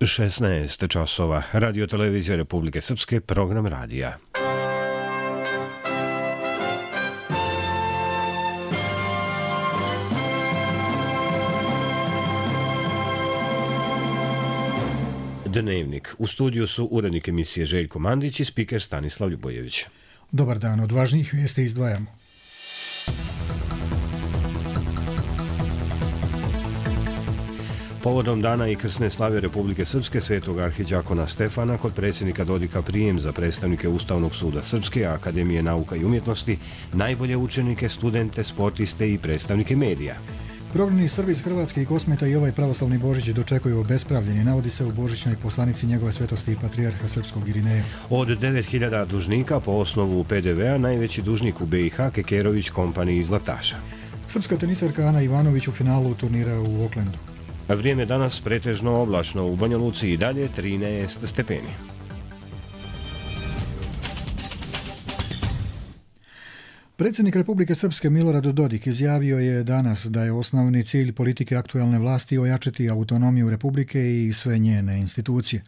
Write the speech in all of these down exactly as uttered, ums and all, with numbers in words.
šesnaest časova. Radio televizija Republike Srpske, program radija. Dnevnik. U studiju su urednik emisije Željko Mandić i spiker Stanislav Ljubojević. Dobar dan, od važnijih vijesti izdvajamo. Povodom dana i krsne slave Republike Srpske svetog arhiđakona Stefana kod predsjednika Dodika prijem za predstavnike Ustavnog suda Srpske, Akademije nauka i umjetnosti, najbolje učenike, studente, sportiste i predstavnike medija. Prognani Srbi iz Hrvatske i Kosmeta i ovaj pravoslavni Božić dočekuju obespravljeni, navodi se u božićnoj poslanici njegove svetosti i patrijarha srpskog Irineja. Od devet hiljada dužnika po osnovu pe de ve a najveći dužnik u be i ha Kekerović kompaniji iz Zlataša. Srpska tenisarka Ana Ivanović u finalu turnira u Aucklandu. Vrijeme danas pretežno oblačno, u Banja Luci i dalje trinaest stepeni. Predsjednik Republike Srpske Milorad Dodik izjavio je danas da je osnovni cilj politike aktualne vlasti ojačati autonomiju Republike i sve njene institucije.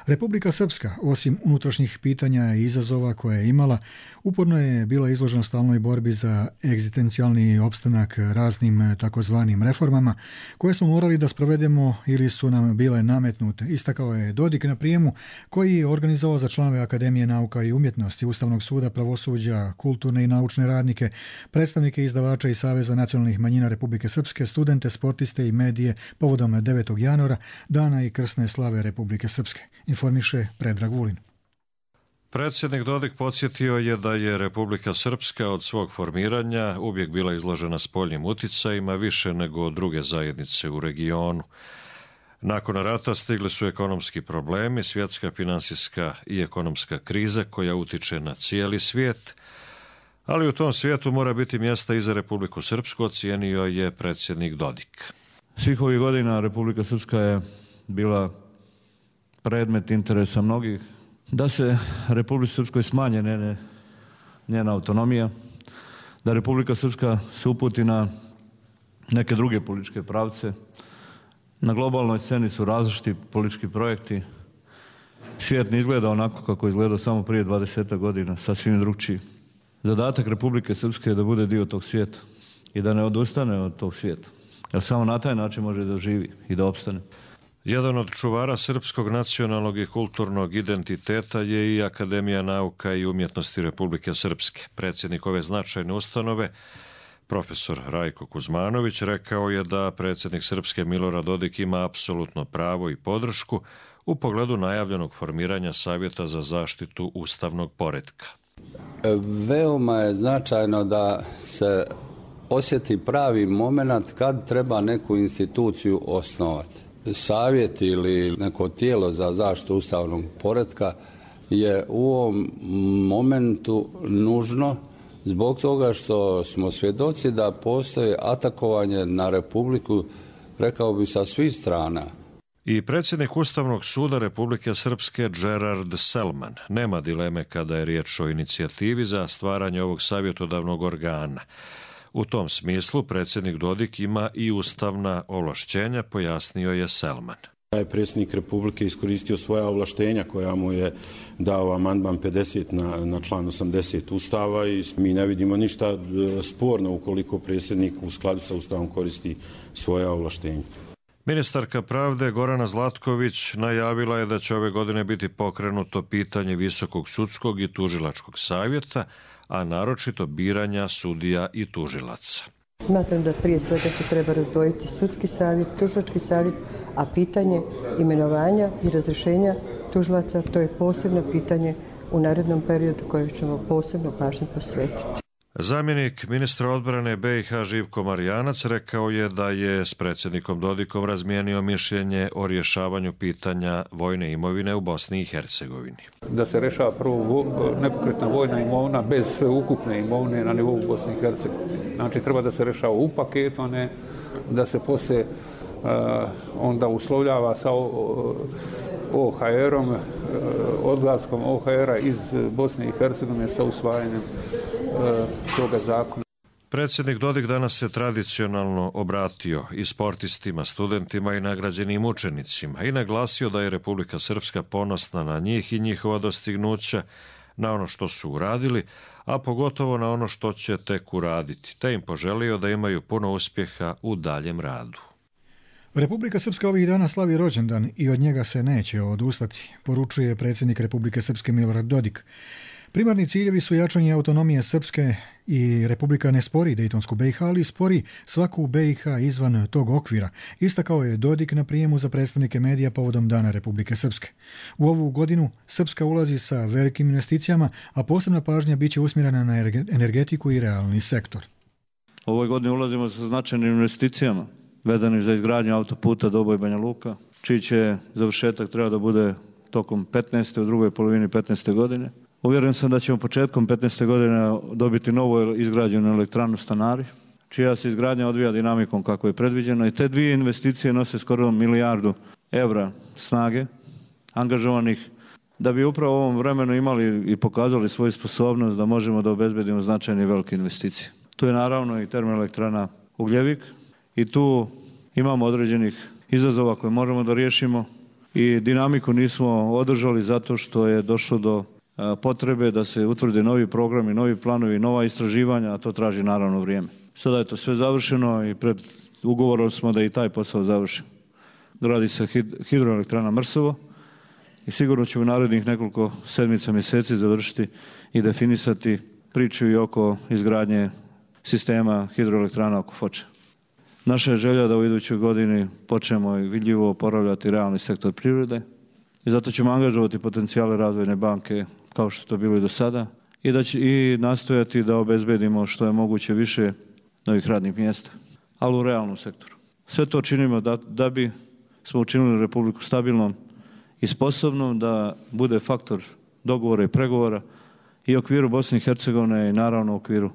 Republika Srpska, osim unutrašnjih pitanja i izazova koje je imala, uporno je bila izložena stalnoj borbi za egzistencijalni opstanak raznim takozvanim reformama koje smo morali da sprovedemo ili su nam bile nametnute, istakao je Dodik na prijemu koji je organizovao za članove Akademije nauka i umjetnosti, Ustavnog suda, pravosuđa, kulturne i naučne radnike, predstavnike izdavača i Saveza nacionalnih manjina Republike Srpske, studente, sportiste i medije povodom devetog januara, dana i krsne slave Republike Srpske, informiše Predrag Vulin. Predsjednik Dodik podsjetio je da je Republika Srpska od svog formiranja uvijek bila izložena spoljnim uticajima više nego druge zajednice u regionu. Nakon rata stigli su ekonomski problemi, svjetska finansijska i ekonomska kriza koja utiče na cijeli svijet, ali u tom svijetu mora biti mjesta i za Republiku Srpsku, ocijenio je predsjednik Dodik. Svih ovih godina Republika Srpska je bila predmet interesa mnogih da se Republici Srpskoj smanje njene, njena autonomija, da Republika Srpska se uputi na neke druge političke pravce. Na globalnoj sceni su različiti politički projekti. Svijet ne izgleda onako kako je izgledao samo prije dvadeset godina, sasvim drugčiji. Zadatak Republike Srpske je da bude dio tog svijeta i da ne odustane od tog svijeta, jer samo na taj način može da živi i da opstane. Jedan od čuvara srpskog nacionalnog i kulturnog identiteta je i Akademija nauka i umjetnosti Republike Srpske. Predsjednik ove značajne ustanove, profesor Rajko Kuzmanović, rekao je da predsjednik Srpske Milorad Dodik ima apsolutno pravo i podršku u pogledu najavljenog formiranja Savjeta za zaštitu ustavnog poretka. Veoma je značajno da se osjeti pravi moment kad treba neku instituciju osnovati. Savjet ili neko tijelo za zaštitu ustavnog poretka je u ovom momentu nužno zbog toga što smo svjedoci da postoji atakovanje na Republiku, rekao bi, sa svih strana. I predsjednik Ustavnog suda Republike Srpske Gerard Selman nema dileme kada je riječ o inicijativi za stvaranje ovog savjetodavnog organa. U tom smislu predsjednik Dodik ima i ustavna ovlašćenja, pojasnio je Selman. Je predsjednik Republike iskoristio svoja ovlaštenja koja mu je dao amandman pedeset na, na član osamdeset Ustava i mi ne vidimo ništa sporno ukoliko predsjednik u skladu sa Ustavom koristi svoja ovlaštenja. Ministarka pravde Gorana Zlatković najavila je da će ove godine biti pokrenuto pitanje Visokog sudskog i tužilačkog savjeta, a naročito biranja sudija i tužilaca. Smatram da prije svega se treba razdvojiti sudski savjet, tužilački savjet, a pitanje imenovanja i razrješenja tužilaca to je posebno pitanje u narednom periodu koje ćemo posebno pažnju posvetiti. Zamjenik ministra odbrane be i ha Živko Marijanac rekao je da je s predsjednikom Dodikom razmijenio mišljenje o rješavanju pitanja vojne imovine u Bosni i Hercegovini. Da se rješava prvo nepokretna vojna imovina bez sve ukupne imovine na nivou Bosne i Hercegovine. Znači treba da se rješava u paketu, a ne da se poslije uh, onda uslovljava sa o ha erom, uh, odlaskom o ha era iz Bosne i Hercegovine sa usvajanjem toga zakona. Predsjednik Dodik danas se tradicionalno obratio i sportistima, studentima i nagrađenim učenicima i naglasio da je Republika Srpska ponosna na njih i njihova dostignuća, na ono što su uradili, a pogotovo na ono što će tek uraditi, te im poželio da imaju puno uspjeha u daljem radu. Republika Srpska ovih dana slavi rođendan i od njega se neće odustati, poručuje predsjednik Republike Srpske Milorad Dodik. Primarni ciljevi su jačanje autonomije Srpske i Republika ne spori Dejtonsku B i H, ali spori svaku B i H izvan tog okvira, istakao je Dodik na prijemu za predstavnike medija povodom Dana Republike Srpske. U ovu godinu Srpska ulazi sa velikim investicijama, a posebna pažnja biće usmjerena na energetiku i realni sektor. Ovoj godini ulazimo sa značajnim investicijama vezanim za izgradnju autoputa Doboj Banja Luka, čiji će završetak treba da bude tokom petnaeste u drugoj polovini petnaeste godine. Uvjeren sam da ćemo početkom petnaeste godine dobiti novu izgrađenu elektranu Stanari, čija se izgradnja odvija dinamikom kako je predviđeno, i te dvije investicije nose skoro milijardu evra snage angažovanih da bi upravo u ovom vremenu imali i pokazali svoju sposobnost da možemo da obezbedimo značajne i velike investicije. Tu je naravno i termoelektrana Ugljevik i tu imamo određenih izazova koje možemo da riješimo i dinamiku nismo održali zato što je došlo do potrebe da se utvrde novi programi, novi planovi, nova istraživanja, a to traži naravno vrijeme. Sada je to sve završeno i pred ugovorom smo da i taj posao završimo. Gradi se hidroelektrana Mrsovo i sigurno ćemo u narednih nekoliko sedmica, mjeseci završiti i definisati priču i oko izgradnje sistema hidroelektrana oko Foče. Naša je želja da u idućoj godini počnemo i vidljivo oporavljati realni sektor privrede i zato ćemo angažovati potencijale razvojne banke kao što je to bilo i do sada i, da će, i nastojati da obezbedimo što je moguće više novih radnih mjesta, ali u realnom sektoru. Sve to činimo da, da bi smo učinili Republiku stabilnom i sposobnom da bude faktor dogovora i pregovora i u okviru Bosne i Hercegovine i naravno u okviru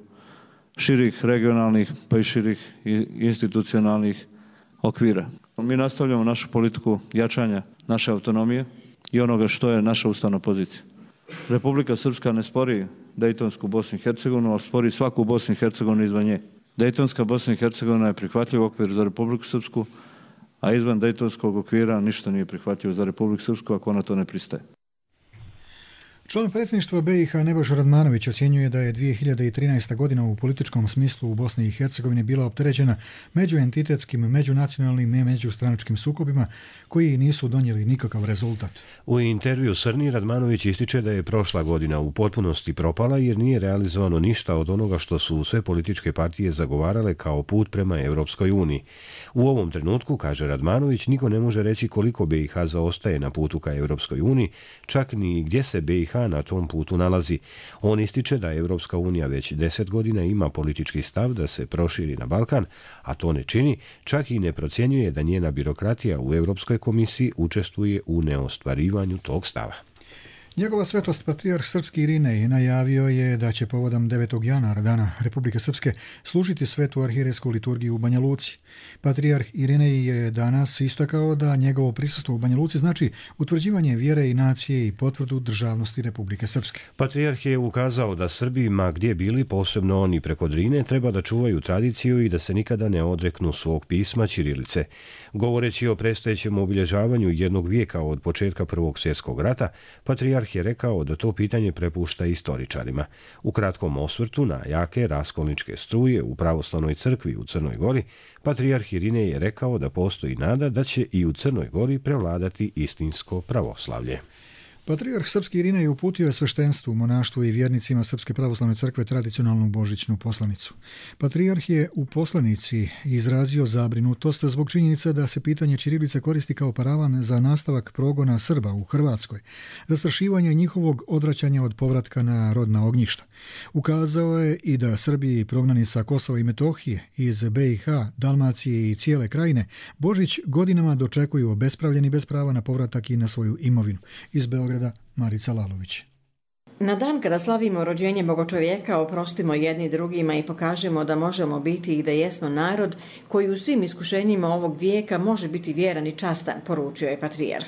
širih regionalnih pa i širih institucionalnih okvira. Mi nastavljamo našu politiku jačanja naše autonomije i onoga što je naša ustavna pozicija. Republika Srpska ne spori Dejtonsku Bosnu i Hercegovinu, ali spori svaku Bosnu i Hercegovinu izvan nje. Dejtonska Bosna i Hercegovina je prihvatljiv okvir za Republiku Srpsku, a izvan Dejtonskog okvira ništa nije prihvatljivo za Republiku Srpsku ako ona to ne pristaje. Član predsjedništva B i H Nebojša Radmanović ocjenjuje da je dvije hiljade trinaesta godina u političkom smislu u Bosni i Hercegovini bila opterećena međuentitetskim, međunacionalnim i međustranačkim sukobima koji nisu donijeli nikakav rezultat. U intervju Srni Radmanović ističe da je prošla godina u potpunosti propala jer nije realizovano ništa od onoga što su sve političke partije zagovarale kao put prema Europskoj uniji. U ovom trenutku, kaže Radmanović, niko ne može reći koliko B i H zaostaje na putu ka Europskoj uniji, čak ni gdje se B i H na tom putu nalazi. On ističe da Europska unija već deset godina ima politički stav da se proširi na Balkan, a to ne čini, čak i ne procjenjuje da njena birokratija u Europskoj komisiji učestvuje u neostvarivanju tog stava. Njegova svetost patrijarh srpski Irinej najavio je da će povodom devetog januara Dana Republike Srpske služiti svetu arhijerejsku liturgiju u Banja Luci. Patrijarh Irinej je danas istakao da njegovo prisustvo u Banja Luci znači utvrđivanje vjere i nacije i potvrdu državnosti Republike Srpske. Patrijarh je ukazao da Srbi, ma gdje bili, posebno oni preko Drine, treba da čuvaju tradiciju i da se nikada ne odreknu svog pisma ćirilice. Govoreći o predstojećem obilježavanju jednog vijeka od početka Prvog svjetskog rata, patrijarh je rekao da to pitanje prepušta istoričarima. U kratkom osvrtu na jake raskolničke struje u pravoslavnoj crkvi u Crnoj Gori, patrijarh Irinej je rekao da postoji nada da će i u Crnoj Gori prevladati istinsko pravoslavlje. Patrijarh srpski Irinej uputio je sveštenstvu, monaštvu i vjernicima Srpske pravoslavne crkve tradicionalnu božićnu poslanicu. Patrijarh je u poslanici izrazio zabrinutost zbog činjenica da se pitanje ćirilice koristi kao paravan za nastavak progona Srba u Hrvatskoj, zastrašivanje njihovog odvraćanja od povratka na rodna ognjišta. Ukazao je i da Srbi prognani sa Kosova i Metohije, iz B i H, Dalmacije i cijele krajine, Božić godinama dočekuju obespravljeni bez prava na povratak i na svoju imovinu. Iz Beograda Marica Lalović. Na dan kada slavimo rođenje Bogočovjeka, oprostimo jedni drugima i pokažemo da možemo biti i da jesmo narod koji u svim iskušenjima ovog vijeka može biti vjeran i častan, poručio je patrijarh.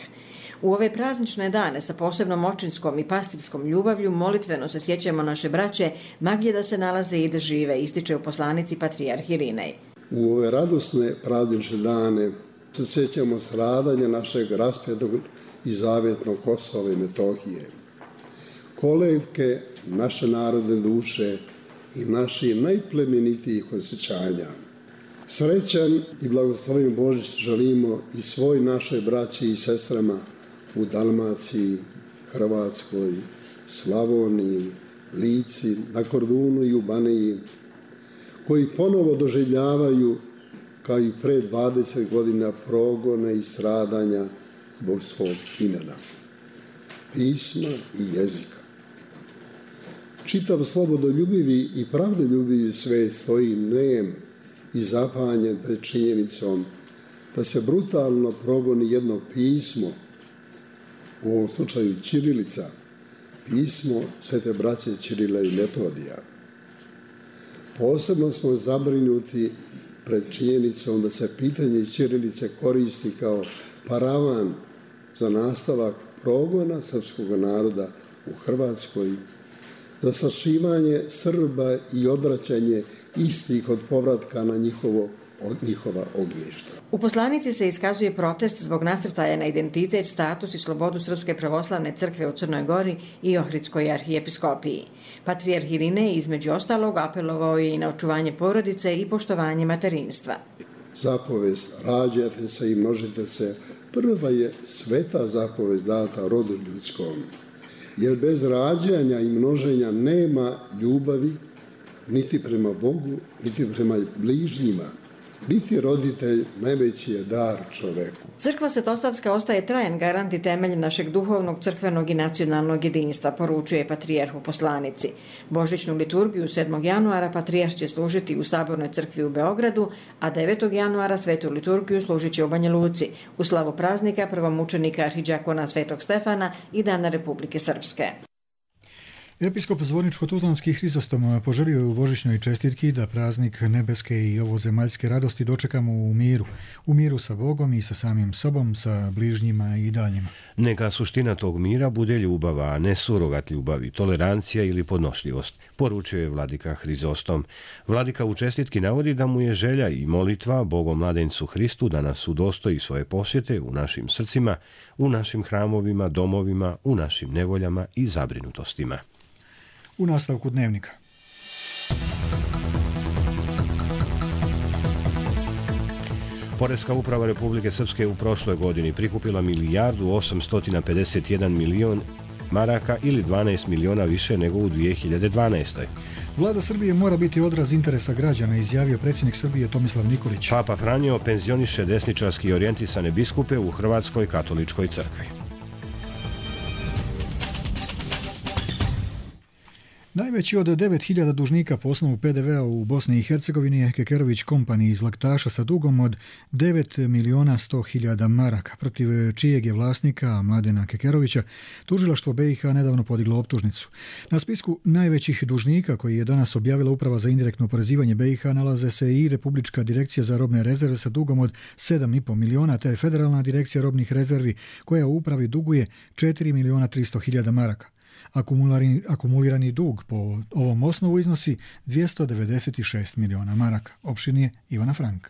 U ove praznične dane sa posebnom očinskom i pastirskom ljubavlju molitveno se sjećamo naše braće, ma gdje da se nalaze i da žive, ističe u poslanici patrijarh Irinej. U ove radosne praznične dane se sjećamo stradanja našeg raspetog i zavjetnog Kosova i Metohije, kolevke naše narodne duše i naših najplemenitijih osjećanja. Srećan i blagosloven Božić želimo i svoj našoj braći i sestrama u Dalmaciji, Hrvatskoj, Slavoniji, Lici, na Kordunu i u Baniji, koji ponovo doživljavaju kao i pre dvadeset godina progone i stradanja zbog svog imena, pisma i jezika. Čitav slobodoljubivi i pravdoljubivi svet stoji nem i zapanjen pred činjenicom da se brutalno progoni jedno pismo, u ovom slučaju ćirilica, pismo Svete braće Ćirila i Metodija. Posebno smo zabrinuti pred činjenicom da se pitanje ćirilice koristi kao paravan za nastavak progona srpskog naroda u Hrvatskoj, za sašivanje Srba i odvraćanje istih od povratka na njihovo, njihova ognjišta. U poslanici se iskazuje protest zbog nasrtaja na identitet, status i slobodu Srpske pravoslavne crkve u Crnoj Gori i Ohridskoj arhijepiskopiji. Patrijarh Irinej između ostalog apelovao je i na očuvanje porodice i poštovanje materinstva. Zapovest rađajte se i množite se prva je sveta zapovest data rodu ljudskom, jer bez rađanja i množenja nema ljubavi niti prema Bogu, niti prema bližnjima. Biti roditelj najveći je dar čoveku. Crkva Svetosavska ostaje trajan garant i temelj našeg duhovnog, crkvenog i nacionalnog jedinstva, poručuje patrijarh u poslanici. Božićnu liturgiju sedmog januara patrijarh će služiti u Sabornoj crkvi u Beogradu, a devetog januara svetu liturgiju služit će u Banja Luci, u slavu praznika prvomučenika arhidžakona Svetog Stefana i Dana Republike Srpske. Episkop Zvorničko-Tuzlanski Hrizostom poželio je u božićnoj čestitki da praznik nebeske i ovozemaljske radosti dočekamo u miru. U miru sa Bogom i sa samim sobom, sa bližnjima i daljnjima. Neka suština tog mira bude ljubava, a ne surogat ljubavi, tolerancija ili podnošljivost, poručuje vladika Hrizostom. Vladika u čestitki navodi da mu je želja i molitva Bogom mladencu Hristu da nas udostoji svoje posjete u našim srcima, u našim hramovima, domovima, u našim nevoljama i zabrinutostima. U nastavku dnevnika. Poreska uprava Republike Srpske u prošloj godini prikupila milijardu osamsto pedeset jedan milion maraka ili dvanaest miliona više nego u dvije hiljade dvanaestoj. Vlada Srbije mora biti odraz interesa građana, izjavio predsjednik Srbije Tomislav Nikolić. Papa Franjo penzioniše desničarski i orijentisane biskupe u Hrvatskoj katoličkoj crkvi. Najveći od devet hiljada dužnika po osnovu pe de vea u Bosni i Hercegovini je Kekerović Company iz Laktaša sa dugom od devet miliona sto hiljada maraka, protiv čijeg je vlasnika Mladena Kekerovića tužilaštvo be i ha nedavno podiglo optužnicu. Na spisku najvećih dužnika koji je danas objavila Uprava za indirektno oporezivanje be i ha nalaze se i Republička direkcija za robne rezerve sa dugom od sedam i po miliona, te Federalna direkcija robnih rezervi koja u upravi duguje četiri miliona tristo hiljada maraka. Akumulirani, akumulirani dug po ovom osnovu iznosi dvjesto devedeset šest miliona maraka. Opširnije Ivana Frank.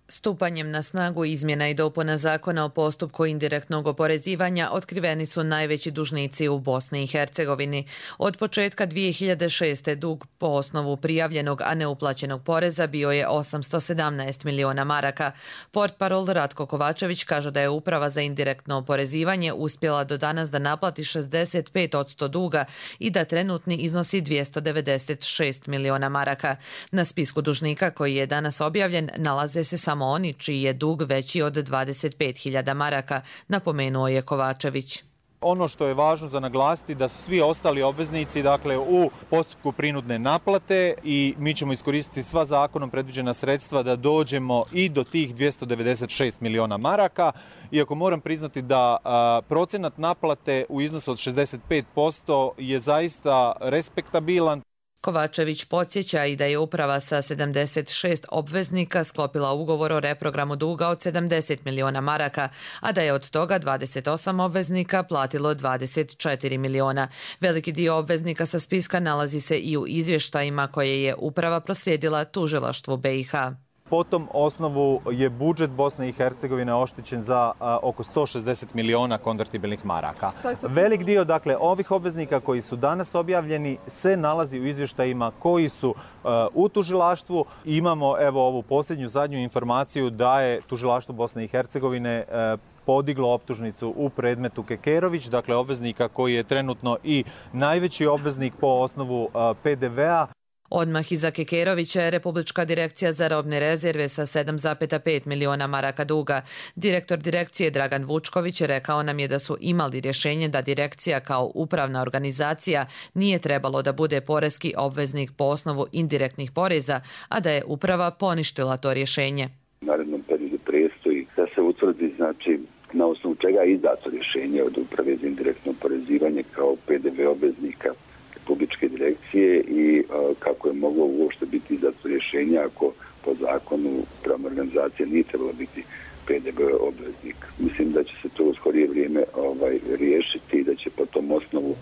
Stupanjem na snagu izmjena i dopuna zakona o postupku indirektnog oporezivanja otkriveni su najveći dužnici u Bosni i Hercegovini. Od početka dvije hiljade šeste. dug po osnovu prijavljenog, a neuplaćenog poreza bio je osamsto sedamnaest miliona maraka. Portparol Ratko Kovačević kaže da je Uprava za indirektno oporezivanje uspjela do danas da naplati šezdeset pet posto duga i da trenutni iznosi dvjesto devedeset šest miliona maraka. Na spisku dužnika koji je danas objavljen nalaze se samo oni čiji je dug veći od dvadeset pet hiljada maraka, napomenuo je Kovačević. Ono što je važno za naglasiti da su svi ostali obveznici dakle u postupku prinudne naplate i mi ćemo iskoristiti sva zakonom predviđena sredstva da dođemo i do tih dvjesto devedeset šest miliona maraka. Iako moram priznati da a, procenat naplate u iznosu od šezdeset pet posto je zaista respektabilan. Kovačević podsjeća i da je uprava sa sedamdeset šest obveznika sklopila ugovor o reprogramu duga od sedamdeset miliona maraka, a da je od toga dvadeset osam obveznika platilo dvadeset četiri miliona. Veliki dio obveznika sa spiska nalazi se i u izvještajima koje je uprava proslijedila tužilaštvu B i H. Po tom osnovu je budžet Bosne i Hercegovine oštećen za a, oko sto šezdeset miliona konvertibilnih maraka. Velik dio dakle ovih obveznika koji su danas objavljeni se nalazi u izvještajima koji su a, u tužilaštvu. Imamo evo ovu posljednju zadnju informaciju da je tužilaštvo Bosne i Hercegovine a, podiglo optužnicu u predmetu Kekerović, dakle obveznika koji je trenutno i najveći obveznik po osnovu a, P D V-a. Odmah iza Kekerovića je Republička direkcija za robne rezerve sa sedam zarez pet miliona maraka duga. Direktor direkcije Dragan Vučković rekao nam je da su imali rješenje da direkcija kao upravna organizacija nije trebalo da bude poreski obveznik po osnovu indirektnih poreza, a da je uprava poništila to rješenje. U narednom periodu prestoji da se utvrdi znači na osnovu čega je izdato rješenje od uprave za indirektno oporezivanje kao P D V obveznika Republičke direkcije i a, kako je moglo uopšte biti izdato rješenje ako po zakonu upravna organizacija nije trebala biti P D V obveznik. Mislim da će se to u skorije vrijeme ovaj, riješiti i da će po tom osnovu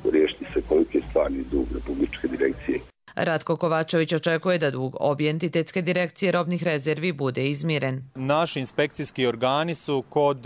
riješiti se koliki je stvarni dug Republičke direkcije. Ratko Kovačević očekuje da dug obje entitetske direkcije robnih rezervi bude izmiren. Naši inspekcijski organi su kod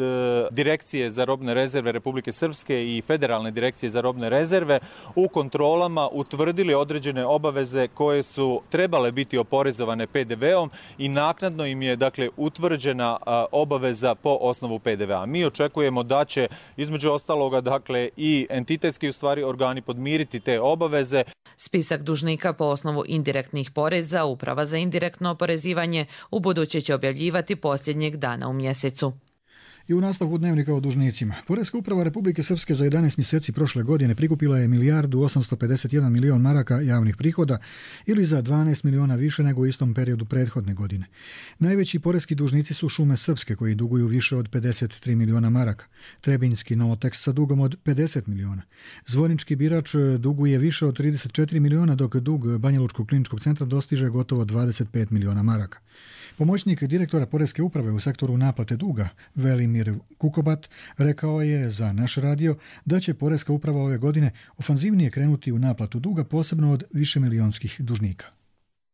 Direkcije za robne rezerve Republike Srpske i Federalne direkcije za robne rezerve u kontrolama utvrdili određene obaveze koje su trebale biti oporezovane P D V-om i naknadno im je dakle utvrđena obaveza po osnovu P D V-a. Mi očekujemo da će između ostaloga dakle i entitetski u stvari organi podmiriti te obaveze. Spisak dužnika po osnovu indirektnih poreza Uprava za indirektno oporezivanje u buduće će objavljivati posljednjeg dana u mjesecu. I u nastavku dnevnika o dužnicima. Poreska uprava Republike Srpske za jedanaest mjeseci prošle godine prikupila je milijardu osamsto pedeset jedan milion maraka javnih prihoda ili za dvanaest miliona više nego u istom periodu prethodne godine. Najveći poreski dužnici su Šume Srpske koji duguju više od pedeset tri miliona maraka, Trebinjski Novoteks sa dugom od pedeset miliona. Zvornički Birač duguje više od trideset četiri miliona dok dug Banjalučkog kliničkog centra dostiže gotovo dvadeset pet miliona maraka. Pomoćnik direktora Poreske uprave u sektoru naplate duga, Velimir Kukobat, rekao je za naš radio da će Poreska uprava ove godine ofanzivnije krenuti u naplatu duga, posebno od višemilionskih dužnika.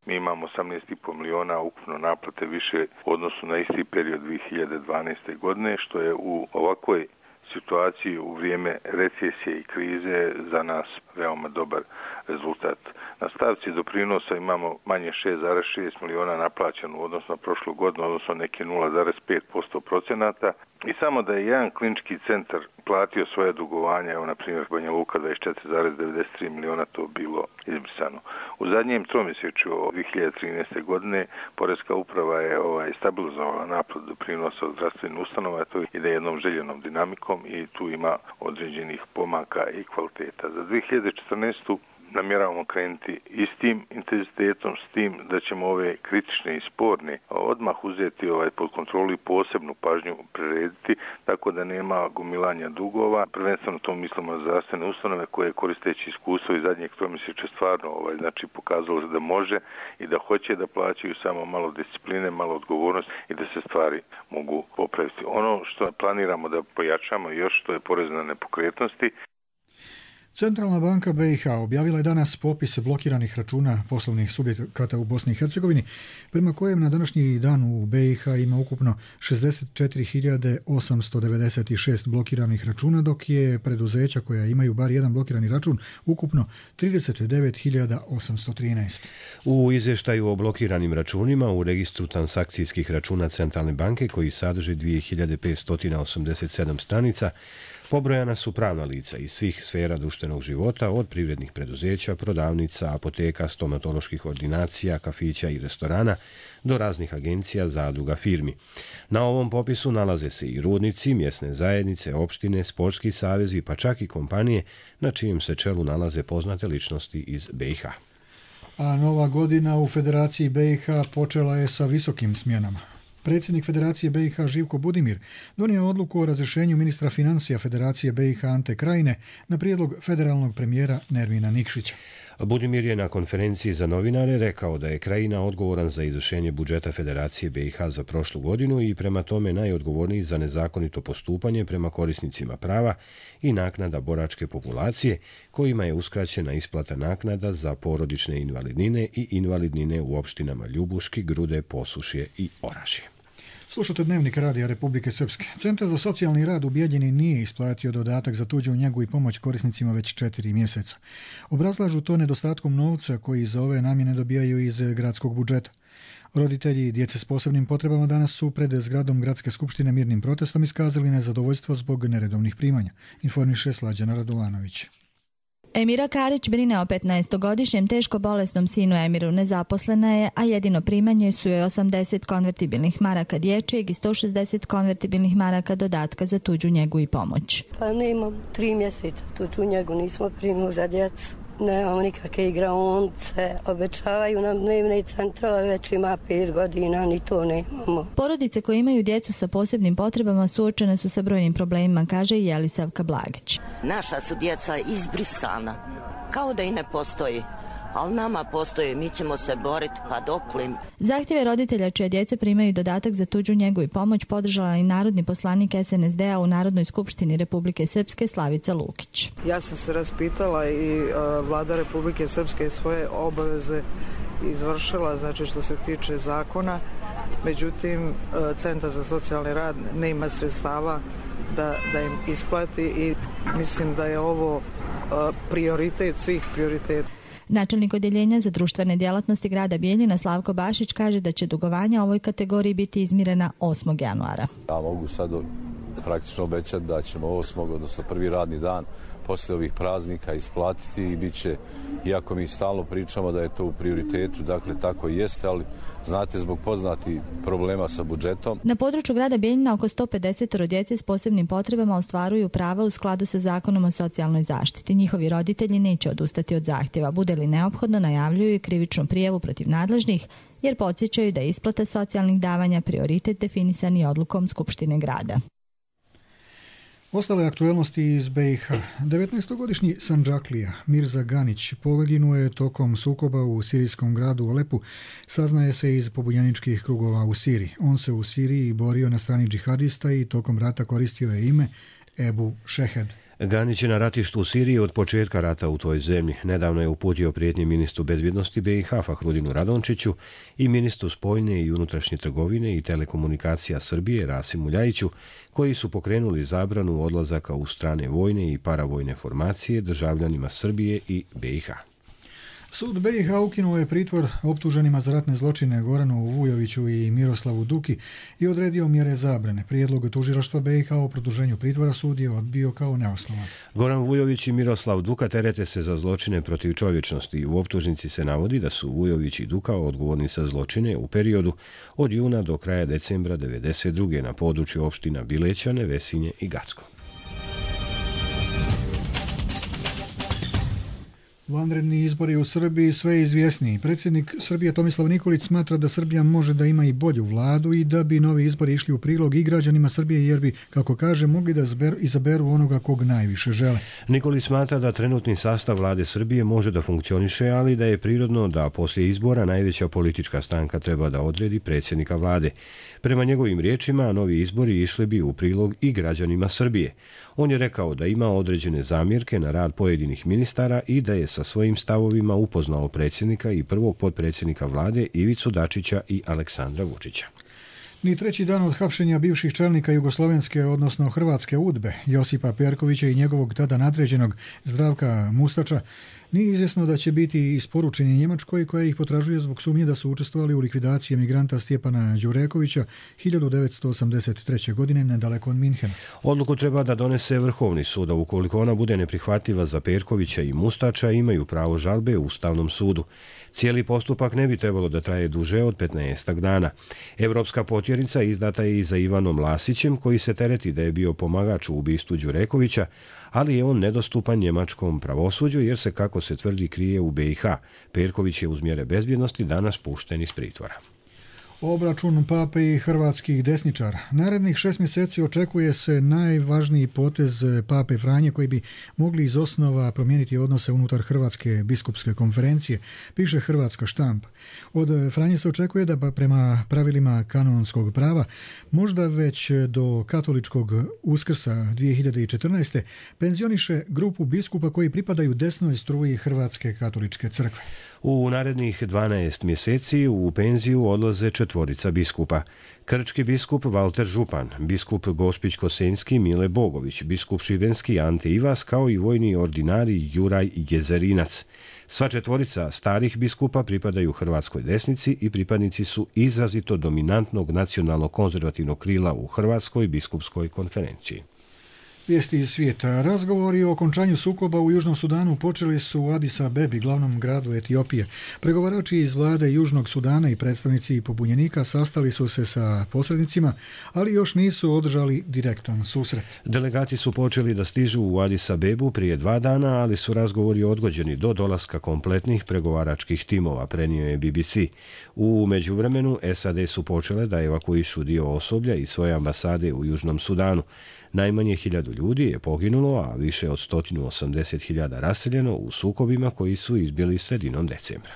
Mi imamo osamnaest zarez pet miliona ukupno naplate više u odnosu na isti period dvije hiljade dvanaeste. godine, što je u ovakvoj situaciji u vrijeme recesije i krize za nas veoma dobar rezultat. Na stavci doprinosa imamo manje šest zarez šest miliona naplaćeno u odnosu na prošlu godinu, odnosno neke nula zarez pet posto procenata. I samo da je jedan klinički centar platio svoje dugovanja, evo na primjer Banja Luka dvadeset četiri zarez devedeset tri miliona, to bilo izbrisano. U zadnjem tromjesečju dvije hiljade trinaeste. godine Poreska uprava je ovaj, stabilizovala naplatu doprinosa od zdravstvenih ustanova, to ide jednom željenom dinamikom i tu ima određenih pomaka i kvaliteta. Za dvije hiljade četrnaestu. namjeravamo krenuti istim intenzitetom, s tim da ćemo ove kritične i sporne odmah uzeti ovaj pod kontrolu i posebnu pažnju prirediti, tako da nema gomilanja dugova. Prvenstveno to mislimo na zdravstvene ustanove koje koristeći iskustvo iz zadnjeg tromjesečja stvarno ovaj, znači pokazalo da može i da hoće da plaćaju, samo malo discipline, malo odgovornost i da se stvari mogu popraviti. Ono što planiramo da pojačamo još, to je porez na nepokretnosti. Centralna banka B i H objavila je danas popis blokiranih računa poslovnih subjekata u Bosni i Hercegovini, prema kojem na današnji dan u B i H ima ukupno šezdeset četiri hiljade osamsto devedeset šest blokiranih računa, dok je preduzeća koja imaju bar jedan blokirani račun ukupno trideset devet hiljada osamsto trinaest. U izvještaju o blokiranim računima u registru transakcijskih računa Centralne banke, koji sadrži dvije hiljade petsto osamdeset sedam stranica, pobrojana su pravna lica iz svih sfera društvenog života, od privrednih preduzeća, prodavnica, apoteka, stomatoloških ordinacija, kafića i restorana, do raznih agencija, zadruga, firmi. Na ovom popisu nalaze se i rudnici, mjesne zajednice, opštine, sportski savezi, pa čak i kompanije na čijem se čelu nalaze poznate ličnosti iz B i H. A nova godina u Federaciji B i H počela je sa visokim smjenama. Predsjednik Federacije B i H Živko Budimir donio odluku o razrješenju ministra financija Federacije B i H Ante Krajine na prijedlog federalnog premijera Nermina Nikšića. Budimir je na konferenciji za novinare rekao da je Krajina odgovoran za izvršenje budžeta Federacije B i H za prošlu godinu i prema tome najodgovorniji za nezakonito postupanje prema korisnicima prava i naknada boračke populacije, kojima je uskraćena isplata naknada za porodične invalidnine i invalidnine u opštinama Ljubuški, Grude, Posušje i Orašje. Slušate Dnevnik Radija Republike Srpske. Centar za socijalni rad u Bijeljini nije isplatio dodatak za tuđu njegu i pomoć korisnicima već četiri mjeseca. Obrazlažu to nedostatkom novca koji za ove namjene dobijaju iz gradskog budžeta. Roditelji djece s posebnim potrebama danas su pred zgradom Gradske skupštine mirnim protestom iskazali nezadovoljstvo zbog neredovnih primanja, informiše Slađana Radovanović. Emira Karić brine o petnaestogodišnjem teško bolesnom sinu Emiru. Nezaposlena je, a jedino primanje su joj osamdeset konvertibilnih maraka dječjeg i sto šezdeset konvertibilnih maraka dodatka za tuđu njegu i pomoć. Pa nemam tri mjeseca tuđu njegu, nismo primili za djecu. Nemamo nikakve igraonice, obećavaju nam dnevne centrove, već ima pet godina, ni to nemamo. Porodice koje imaju djecu sa posebnim potrebama suočene su sa brojnim problemima, kaže i Jelisavka Blagić. Naša su djeca izbrisana, kao da i ne postoji. Ali nama postoji, mi ćemo se boriti pa doklim. Zahtjeve roditelja čije djece primaju dodatak za tuđu njegu i pomoć podržala i narodni poslanik S N S D-a u Narodnoj skupštini Republike Srpske Slavica Lukić. Ja sam se raspitala i uh, vlada Republike Srpske svoje obaveze izvršila, znači što se tiče zakona. Međutim, uh, Centar za socijalni rad ne ima sredstava da, da im isplati i mislim da je ovo uh, prioritet svih prioriteta. Načelnik odjeljenja za društvene djelatnosti grada Bijeljina Slavko Bašić kaže da će dugovanja ovoj kategoriji biti izmirena osmog januara. Ja mogu sad praktično obećati da ćemo osmog odnosno prvi radni dan poslije ovih praznika isplatiti i bit će, iako mi stalno pričamo da je to u prioritetu, dakle tako i jeste, ali znate zbog poznati problema sa budžetom. Na području grada Bijeljina oko sto pedeset djece s posebnim potrebama ostvaruju prava u skladu sa Zakonom o socijalnoj zaštiti. Njihovi roditelji neće odustati od zahtjeva. Bude li neophodno, najavljuju i krivičnu prijavu protiv nadležnih, jer podsjećaju da je isplata socijalnih davanja prioritet definisani odlukom Skupštine grada. Ostale aktuelnosti iz B i H. devetnaestogodišnji Sandžaklija Mirza Ganić poginuo je tokom sukoba u sirijskom gradu Alepu, saznaje se iz pobunjeničkih krugova u Siriji. On se u Siriji borio na strani džihadista i tokom rata koristio je ime Ebu Šehed. Ganić je na ratištu u Siriji od početka rata u toj zemlji. Nedavno je uputio prijetnje ministru bezbjednosti B i H Fahrudinu Radončiću i ministru spoljne i unutrašnje trgovine i telekomunikacija Srbije Rasimu Ljajiću, koji su pokrenuli zabranu odlazaka u strane vojne i paravojne formacije državljanima Srbije i B i H. Sud B i H ukinuo je pritvor optuženima za ratne zločine Goranu Vujoviću i Miroslavu Duki i odredio mjere zabrane. Prijedlog tužilaštva B i H o produženju pritvora sud je odbio kao neosnovan. Goran Vujović i Miroslav Duka terete se za zločine protiv čovječnosti i u optužnici se navodi da su Vujović i Duka odgovorni za zločine u periodu od juna do kraja decembra devedeset druge na području opština Bilećane, Vesinje i Gacko. Vanredni izbori u Srbiji sve izvjesniji. Predsjednik Srbije Tomislav Nikolić smatra da Srbija može da ima i bolju vladu i da bi novi izbori išli u prilog i građanima Srbije jer bi, kako kaže, mogli da zber, izaberu onoga kog najviše žele. Nikolić smatra da trenutni sastav vlade Srbije može da funkcioniše, ali da je prirodno da poslije izbora najveća politička stranka treba da odredi predsjednika vlade. Prema njegovim riječima, novi izbori išli bi u prilog i građanima Srbije. On je rekao da ima određene zamjerke na rad pojedinih ministara i da je sa svojim stavovima upoznao predsjednika i prvog potpredsjednika vlade Ivicu Dačića i Aleksandra Vučića. Ni treći dan od hapšenja bivših čelnika jugoslovenske, odnosno hrvatske udbe, Josipa Perkovića i njegovog tada nadređenog Zdravka Mustača, nije izvjesno da će biti isporučeni Njemačkoj, koja ih potražuje zbog sumnje da su učestvovali u likvidaciji emigranta Stjepana Đurekovića hiljadu devetsto osamdeset treće. godine nedaleko od Minhena. Odluku treba da donese Vrhovni sud, a ukoliko ona bude neprihvatljiva za Perkovića i Mustača, imaju pravo žalbe u Ustavnom sudu. Cijeli postupak ne bi trebalo da traje duže od petnaestak dana. Evropska potjernica izdata je i za Ivanom Lasićem, koji se tereti da je bio pomagač u ubistvu Đurekovića, ali je on nedostupan njemačkom pravosuđu jer se, kako se tvrdi, krije u B i H. Perković je uz mjere bezbjednosti danas pušten iz pritvora. Obračun pape i hrvatskih desničara. Narednih šest mjeseci očekuje se najvažniji potez pape Franje koji bi mogli iz osnova promijeniti odnose unutar Hrvatske biskupske konferencije, piše hrvatska štampa. Od Franje se očekuje da prema pravilima kanonskog prava možda već do katoličkog Uskrsa dvije hiljade četrnaeste. penzioniše grupu biskupa koji pripadaju desnoj struji Hrvatske katoličke crkve. U narednih dvanaest mjeseci u penziju odlaze četvorica biskupa. Krčki biskup Valter Župan, biskup Gospić-Kosenjski Mile Bogović, biskup Šibenski Ante Ivas kao i vojni ordinari Juraj Jezerinac. Sva četvorica starih biskupa pripadaju hrvatskoj desnici i pripadnici su izrazito dominantnog nacionalno konzervativnog krila u Hrvatskoj biskupskoj konferenciji. Vijesti iz svijeta. Razgovori o okončanju sukoba u Južnom Sudanu počeli su u Adis Abebi, glavnom gradu Etiopije. Pregovarači iz vlade Južnog Sudana i predstavnici pobunjenika sastali su se sa posrednicima, ali još nisu održali direktan susret. Delegati su počeli da stižu u Adis Abebu prije dva dana, ali su razgovori odgođeni do dolaska kompletnih pregovaračkih timova, prenio je B B C. U međuvremenu S A D su počele da evakuišu dio osoblja i svoje ambasade u Južnom Sudanu. Najmanje hiljadu ljudi je poginulo, a više od sto osamdeset hiljada raseljeno u sukobima koji su izbili sredinom decembra.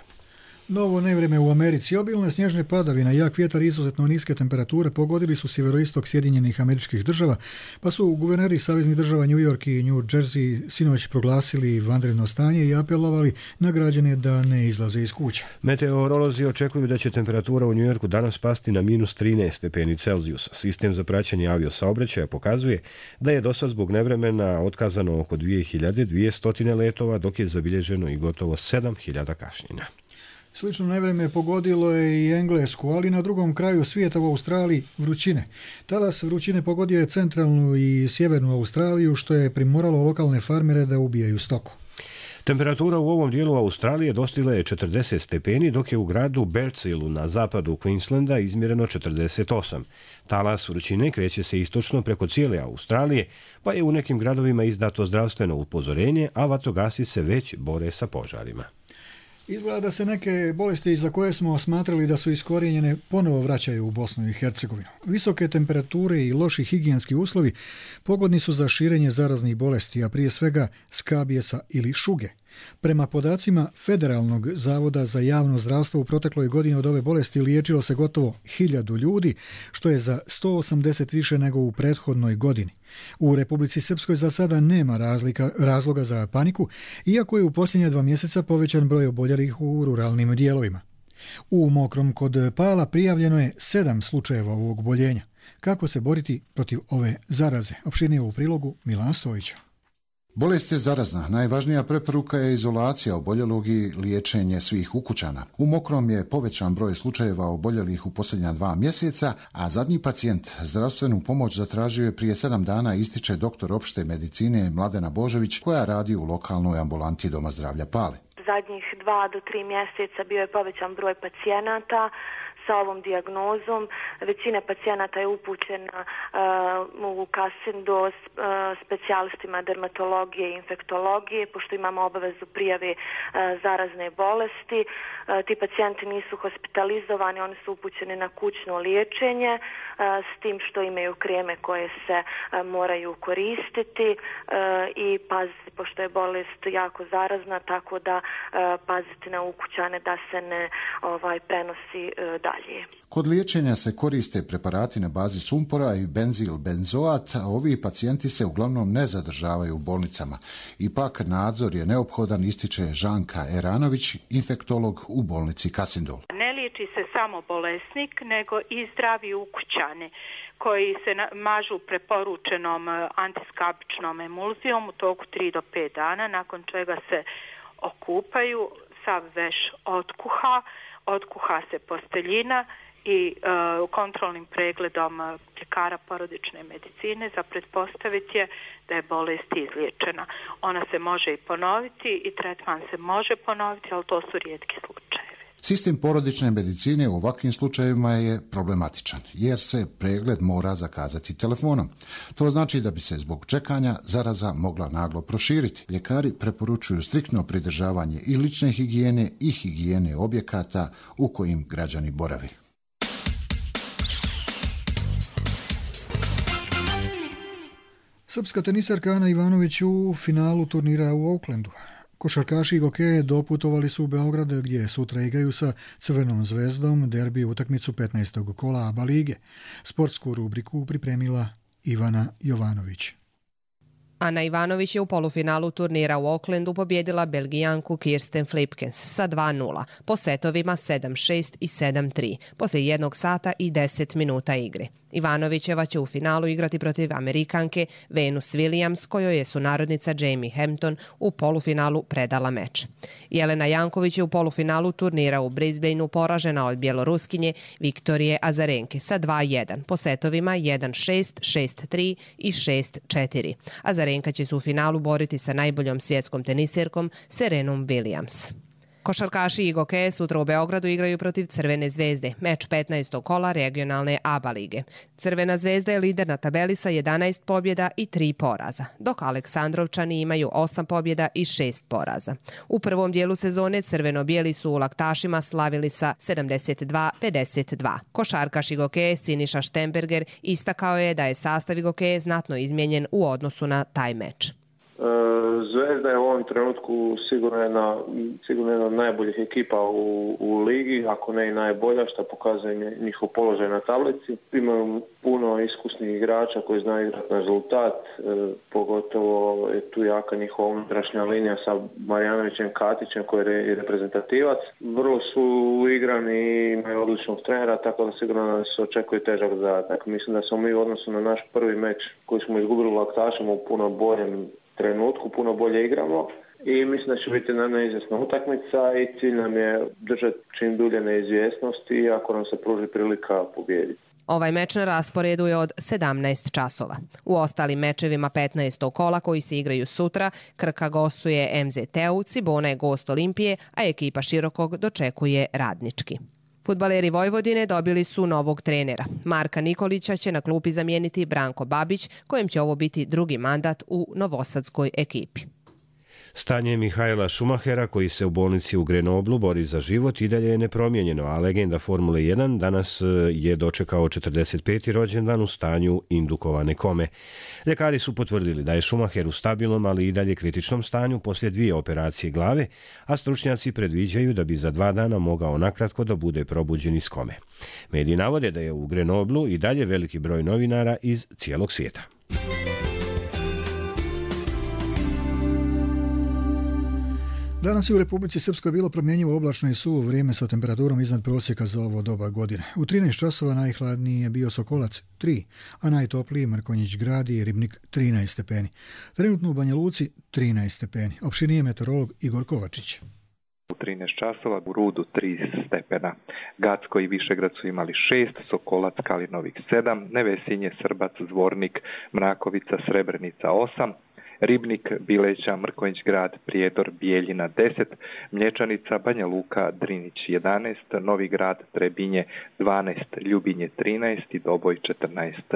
Novo nevrijeme u Americi. Obilne snježne padavine, jak vjetar i izuzetno niske temperature pogodili su sjeveroistok Sjedinjenih Američkih Država, pa su guverneri saveznih država New York i New Jersey sinoć proglasili vanredno stanje i apelovali na građane da ne izlaze iz kuća. Meteorolozi očekuju da će temperatura u New Yorku danas pasti na minus trinaest stepeni Celzijusa. Sistem za praćenje aviosaobraćaja pokazuje da je dosad zbog nevremena otkazano oko dvije hiljade dvjesto letova, dok je zabilježeno i gotovo sedam hiljada kašnjenja. Slično nevrijeme pogodilo je i Englesku, ali na drugom kraju svijeta u Australiji vrućine. Talas vrućine pogodio je centralnu i sjevernu Australiju, što je primoralo lokalne farmere da ubijaju stoku. Temperatura u ovom dijelu Australije dostigla je četrdeset stepeni, dok je u gradu Bertsillu na zapadu Queenslanda izmjereno četrdeset osam. Talas vrućine kreće se istočno preko cijele Australije, pa je u nekim gradovima izdato zdravstveno upozorenje, a vatrogasci se već bore sa požarima. Izgleda da se neke bolesti za koje smo smatrali da su iskorijenjene ponovo vraćaju u Bosnu i Hercegovinu. Visoke temperature i loši higijenski uslovi pogodni su za širenje zaraznih bolesti, a prije svega skabijesa ili šuge. Prema podacima Federalnog zavoda za javno zdravstvo u protekloj godini od ove bolesti liječilo se gotovo hiljadu ljudi, što je za sto osamdeset više nego u prethodnoj godini. U Republici Srpskoj za sada nema razlika, razloga za paniku, iako je u posljednja dva mjeseca povećan broj oboljelih u ruralnim dijelovima. U Mokrom kod Pala prijavljeno je sedam slučajeva ovog oboljenja. Kako se boriti protiv ove zaraze? Opširnije u prilogu Milan Stojića. Bolest je zarazna. Najvažnija preporuka je izolacija oboljelog i liječenje svih ukućana. U Mokrom je povećan broj slučajeva oboljelih u posljednja dva mjeseca, a zadnji pacijent zdravstvenu pomoć zatražio je prije sedam dana, ističe doktor opšte medicine Mladena Božović, koja radi u lokalnoj ambulanti Doma zdravlja Pale. Zadnjih dva do tri mjeseca bio je povećan broj pacijenata sa ovom dijagnozom. Većina pacijenata je upućena uh, u Kasindo uh, specijalistima dermatologije i infektologije, pošto imamo obavezu prijave uh, zarazne bolesti. Uh, ti pacijenti nisu hospitalizovani, oni su upućeni na kućno liječenje uh, s tim što imaju kreme koje se uh, moraju koristiti uh, i paziti, pošto je bolest jako zarazna, tako da uh, paziti na ukućane da se ne ovaj, prenosi uh, dalje. Kod liječenja se koriste preparati na bazi sumpora i benzil benzoat, a ovi pacijenti se uglavnom ne zadržavaju u bolnicama. Ipak nadzor je neophodan, ističe Žanka Eranović, infektolog u bolnici Kasindol. Ne liječi se samo bolesnik, nego i zdravi ukućani koji se mažu preporučenom antiskabičnom emulzijom u toku tri do pet dana, nakon čega se okupaju, sav veš otkuha, otkuha se posteljina i uh, kontrolnim pregledom ljekara porodične medicine za pretpostaviti je da je bolest izliječena. Ona se može i ponoviti i tretman se može ponoviti, ali to su rijetki slučajevi. Sistem porodične medicine u ovakvim slučajevima je problematičan, jer se pregled mora zakazati telefonom. To znači da bi se zbog čekanja zaraza mogla naglo proširiti. Ljekari preporučuju striktno pridržavanje i lične higijene i higijene objekata u kojim građani boravi. Srpska tenisarka Ana Ivanović u finalu turnira u Oaklandu. Košarkaši i gokeje doputovali su u Beograd gdje sutra igraju sa Crvenom zvezdom derbi utakmicu petnaestog kola ABA lige. Sportsku rubriku pripremila Ivana Jovanović. Ana Ivanović je u polufinalu turnira u Oaklandu pobjedila Belgijanku Kirsten Flipkens sa dva nula po setovima sedam šest i sedam tri poslije jednog sata i deset minuta igre. Ivanovićeva će u finalu igrati protiv Amerikanke Venus Williams, kojoj je sunarodnica Jamie Hampton u polufinalu predala meč. Jelena Janković je u polufinalu turnira u Brisbaneu poražena od bjeloruskinje Viktorije Azarenke sa dva jedan po setovima jedan šest, šest tri i šest četiri. Azarenka će se u finalu boriti sa najboljom svjetskom teniserkom Serenom Williams. Košarkaši i gokeje sutra u Beogradu igraju protiv Crvene zvezde, meč petnaestog kola regionalne ABA lige. Crvena zvezda je lider na tabeli sa jedanaest pobjeda i tri poraza, dok Aleksandrovčani imaju osam pobjeda i šest poraza. U prvom dijelu sezone crveno-bijeli su u Laktašima slavili sa sedamdeset dva pedeset dva. Košarkaš i gokeje Siniša Štemberger istakao je da je sastav gokeje znatno izmijenjen u odnosu na taj meč. Zvezda je u ovom trenutku sigurno jedna, sigurno jedna od najboljih ekipa u, u ligi, ako ne i najbolja, što pokazuje njihov položaj na tablici. Imaju puno iskusnih igrača koji znaju igrati na rezultat, e, pogotovo je tu jaka njihova unutrašnja linija sa Marjanovićem Katićem koji je reprezentativac. Vrlo su igrani i imaju odličnog trenera, tako da sigurno nas očekuje težak zadatak. Mislim da smo mi u odnosu na naš prvi meč koji smo izgubili u Laktašima u puno boljem trenutku, puno bolje igramo i mislim da će biti na neizvjesna utakmica i cilj nam je držati čim dulje neizvjesnosti i ako nam se pruži prilika pobijediti. Ovaj meč na rasporedu je od sedamnaest časova. U ostalim mečevima petnaestog kola koji se igraju sutra, Krka gostuje M Z T-u, Cibona je gost Olimpije, a ekipa Širokog dočekuje Radnički. Fudbaleri Vojvodine dobili su novog trenera. Marka Nikolića će na klupi zamijeniti Branko Babić, kojem će ovo biti drugi mandat u novosadskoj ekipi. Stanje Mihaela Schumachera, koji se u bolnici u Grenoblu bori za život, i dalje je nepromijenjeno, a legenda Formule jedan danas je dočekao četrdeset peti rođendan u stanju indukovane kome. Ljekari su potvrdili da je Schumacher u stabilnom, ali i dalje kritičnom stanju poslije dvije operacije glave, a stručnjaci predviđaju da bi za dva dana mogao nakratko da bude probuđen iz kome. Mediji navode da je u Grenoblu i dalje veliki broj novinara iz cijelog svijeta. Danas je u Republici Srpskoj bilo promjenjivo oblačno i suvo vrijeme sa temperaturom iznad prosjeka za ovo doba godine. U trinaest časova najhladniji je bio Sokolac tri, a najtopliji Mrkonjić Grad i Ribnik trinaest stepeni. Trenutno u Banja Luci trinaest stepeni. Opštinije meteorolog Igor Kovačić. U trinaest časova u Rudu tri stepena. Gacko i Višegrad su imali šest, Sokolac, Kalinovik sedam, Nevesinje, Srbac, Zvornik, Mrakovica, Srebrenica osam, Ribnik, Bileća, Mrkonjić Grad, Prijedor, Bijeljina deset, Mlječanica, Banja Luka, Drinić jedanaest, Novi Grad, Trebinje dvanaest, Ljubinje trinaest i Doboj četrnaest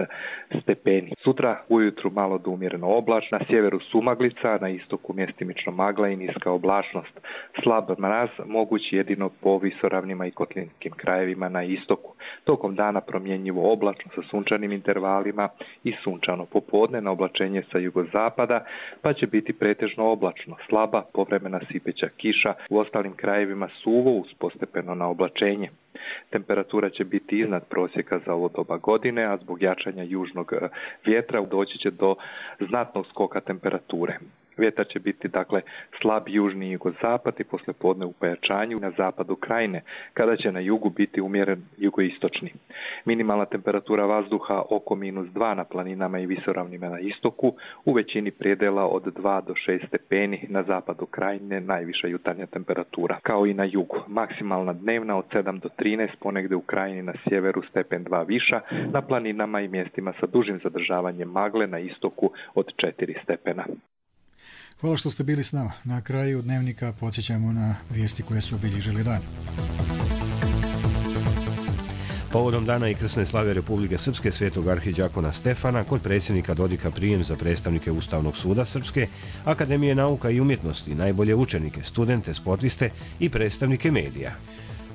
stepeni. Sutra ujutru malo do umjereno oblačno, na sjeveru sumaglica, na istoku mjestimično magla i niska oblačnost. Slab mraz mogući jedino po visoravnima i kotlinskim krajevima na istoku. Tokom dana promjenjivo oblačno sa sunčanim intervalima i sunčano popodne na oblačenje sa jugozapada, pa će biti pretežno oblačno, slaba povremena sipeća kiša, u ostalim krajevima suvo uz postepeno na oblačenje. Temperatura će biti iznad prosjeka za ovo doba godine, a zbog jačanja južnog vjetra doći će do znatnog skoka temperature. Vjetar će biti dakle slab južni jugozapad i poslijepodne u pojačanju na zapadu krajine, kada će na jugu biti umjeren jugoistočni. Minimalna temperatura vazduha oko minus dva na planinama i visoravnima na istoku, u većini predela od dva do šest stepeni, na zapadu krajine najviša jutarnja temperatura, kao i na jugu. Maksimalna dnevna od sedam do trinaest, ponegdje u krajini na sjeveru stepen dva viša, na planinama i mjestima sa dužim zadržavanjem magle na istoku od četiri stepena. Hvala što ste bili s nama. Na kraju dnevnika podsjećamo na vijesti koje su obilježili dan. Povodom dana i krsne slave Republike Srpske svetog arhidžakona Stefana, kod predsjednika Dodika prijem za predstavnike Ustavnog suda Srpske, Akademije nauka i umjetnosti, najbolje učenike, studente, sportiste i predstavnike medija.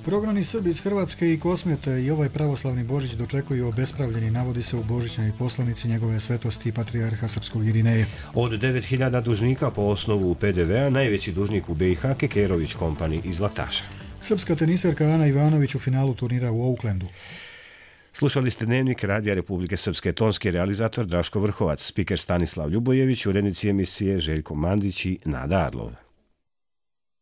Prognani Srbi iz Hrvatske i Kosmete i ovaj pravoslavni Božić dočekuju obespravljeni, navodi se u božićnoj poslanici njegove svetosti patrijarha srpskog Irineja. Od devet hiljada dužnika po osnovu P D V-a najveći dužnik u B i H Kekerović Company iz Laktaša. Srpska teniserka Ana Ivanović u finalu turnira u Oaklandu. Slušali ste Dnevnik Radija Republike Srpske, tonski realizator Draško Vrhovac, spiker Stanislav Ljubojević, urednici emisije Željko Mandić i Nada Arlov.